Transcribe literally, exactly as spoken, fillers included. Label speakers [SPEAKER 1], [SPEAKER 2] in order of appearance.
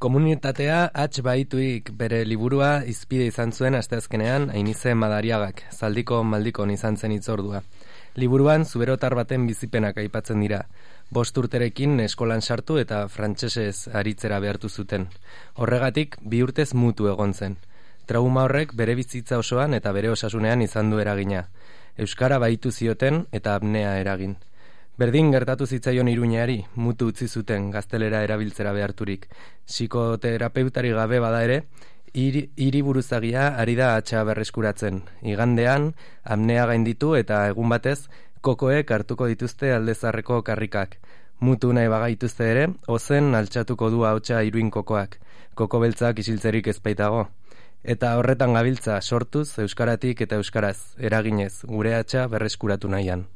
[SPEAKER 1] Komunitatea H baituik bere liburua hizpide izan zuen asteazkenean Ainize Madariagak, zaldiko maldikon izan zen hitzordua. Liburuan zuberotar baten bizipenak aipatzen dira. Bost urterekin eskolan sartu eta frantsesez aritzera behartu zuten. Horregatik bi urtez mutu egon zen. Trauma horrek bere bizitza osoan eta bere osasunean izan du eragina. Euskara baitu zioten eta apnea eragin. Berdin gertatu zitzaion Iruñeari, mutu utzi zuten gaztelera erabiltzera beharturik. Psikoterapeutari gabe bada ere, hiri, hiri buruzagia ari da atxa berreskuratzen. Igandean, apnea gainditu eta egun batez, kokoek hartuko dituzte aldezarreko karrikak. Mutu nahi bagaituzte ere, ozen altxatuko du ahotsa iruin kokoak. Koko beltzak isiltzerik ezpaitago. Eta horretan gabiltza sortuz euskaratik eta euskaraz, eraginez, gure atxa berreskuratu nahian.